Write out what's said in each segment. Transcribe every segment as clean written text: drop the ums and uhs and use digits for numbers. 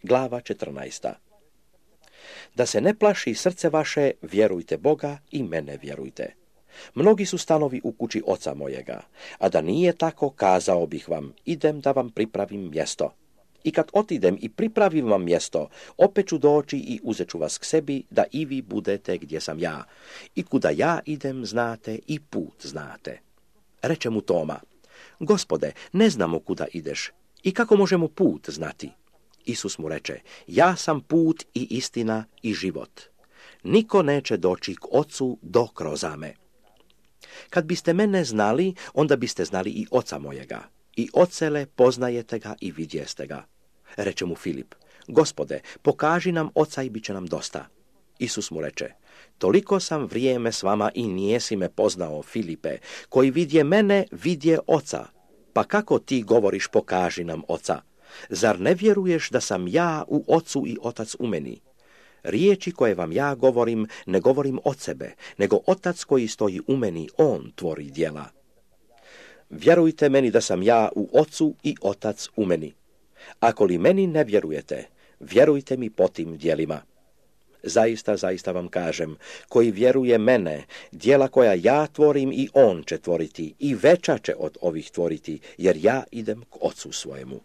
Glava 14. Da se ne plaši srce vaše, vjerujte Boga i mene vjerujte. Mnogi su stanovi u kući oca mojega, a da nije tako, kazao bih vam, idem da vam pripravim mjesto. I kad otidem i pripravim vam mjesto, opet ću doći i uzet ću vas k sebi, da i vi budete gdje sam ja. I kuda ja idem, znate, i put znate. Reče mu Toma, Gospode, ne znamo kuda ideš, i kako možemo put znati? Isus mu reče, ja sam put i istina i život. Niko neće doći k Ocu do kroz me. Kad biste mene znali, onda biste znali i Oca mojega. I ocele poznajete ga i vidjeste ga. Reče mu Filip, Gospode, pokaži nam Oca i bit će nam dosta. Isus mu reče, toliko sam vrijeme s vama i nijesi me poznao, Filipe, koji vidje mene, vidje Oca. Pa kako ti govoriš, pokaži nam Oca? Zar ne vjeruješ da sam ja u Ocu i Otac u meni? Riječi koje vam ja govorim, ne govorim od sebe, nego Otac koji stoji u meni, on tvori djela. Vjerujte meni da sam ja u Ocu i Otac u meni. Ako li meni ne vjerujete, vjerujte mi po tim djelima. Zaista, zaista vam kažem, koji vjeruje mene, djela koja ja tvorim i on će tvoriti, i veća će od ovih tvoriti, jer ja idem k Ocu svojemu.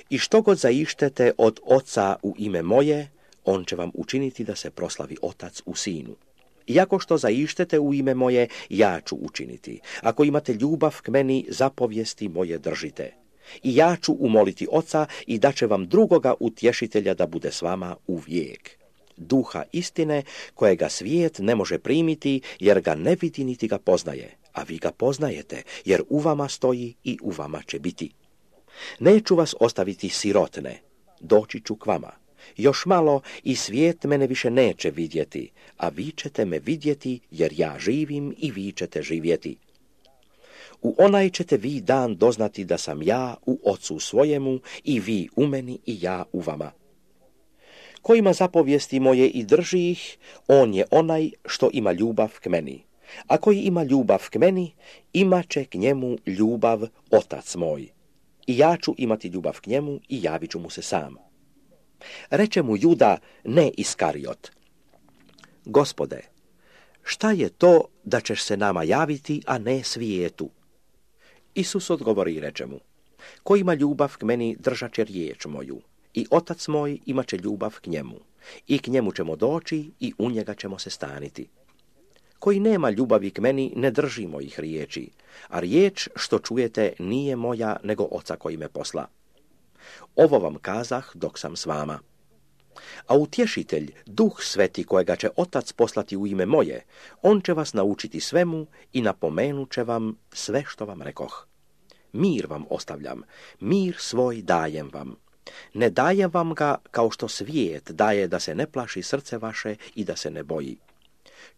I što god zaištete od Oca u ime moje, on će vam učiniti da se proslavi Otac u Sinu. Iako što zaištete u ime moje, ja ću učiniti. Ako imate ljubav k meni, zapovijesti moje držite. I ja ću umoliti Oca i daće vam drugoga utješitelja da bude s vama uvijek. Duha istine, kojega svijet ne može primiti, jer ga ne vidi niti ga poznaje. A vi ga poznajete, jer u vama stoji i u vama će biti. Neću vas ostaviti sirotne, doći ću k vama. Još malo i svijet mene više neće vidjeti, a vi ćete me vidjeti, jer ja živim i vi ćete živjeti. U onaj ćete vi dan doznati da sam ja u Ocu svojemu i vi u meni i ja u vama. Ko ima zapovijesti moje i drži ih, on je onaj što ima ljubav k meni. A koji ima ljubav k meni, imat će k njemu ljubav Otac moj. I ja ću imati ljubav k njemu i javit ću mu se sam. Reče mu Juda, ne Iskariot, Gospode, šta je to da ćeš se nama javiti, a ne svijetu? Isus odgovori i reče mu, ko ima ljubav k meni, držat će riječ moju, i Otac moj imat će ljubav k njemu, i k njemu ćemo doći i u njega ćemo se staniti. Koji nema ljubavi k meni, ne drži mojih riječi, a riječ što čujete nije moja, nego Oca koji me posla. Ovo vam kazah dok sam s vama. A utješitelj, Duh Sveti kojega će Otac poslati u ime moje, on će vas naučiti svemu i napomenut će vam sve što vam rekoh. Mir vam ostavljam, mir svoj dajem vam. Ne dajem vam ga kao što svijet daje, da se ne plaši srce vaše i da se ne boji.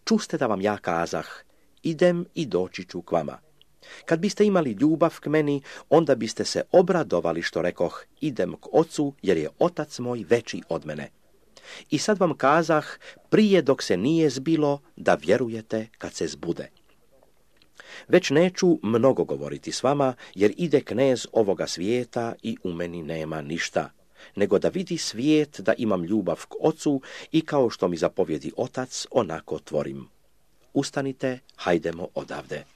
Čuste da vam ja kazah, idem i doći ću k vama. Kad biste imali ljubav k meni, onda biste se obradovali što rekoh, idem k Ocu, jer je Otac moj veći od mene. I sad vam kazah, prije dok se nije zbilo, da vjerujete kad se zbude. Već neću mnogo govoriti s vama, jer ide knez ovoga svijeta i u meni nema ništa, nego da vidi svijet da imam ljubav k Ocu i kao što mi zapovjedi Otac, onako tvorim. Ustanite, hajdemo odavde.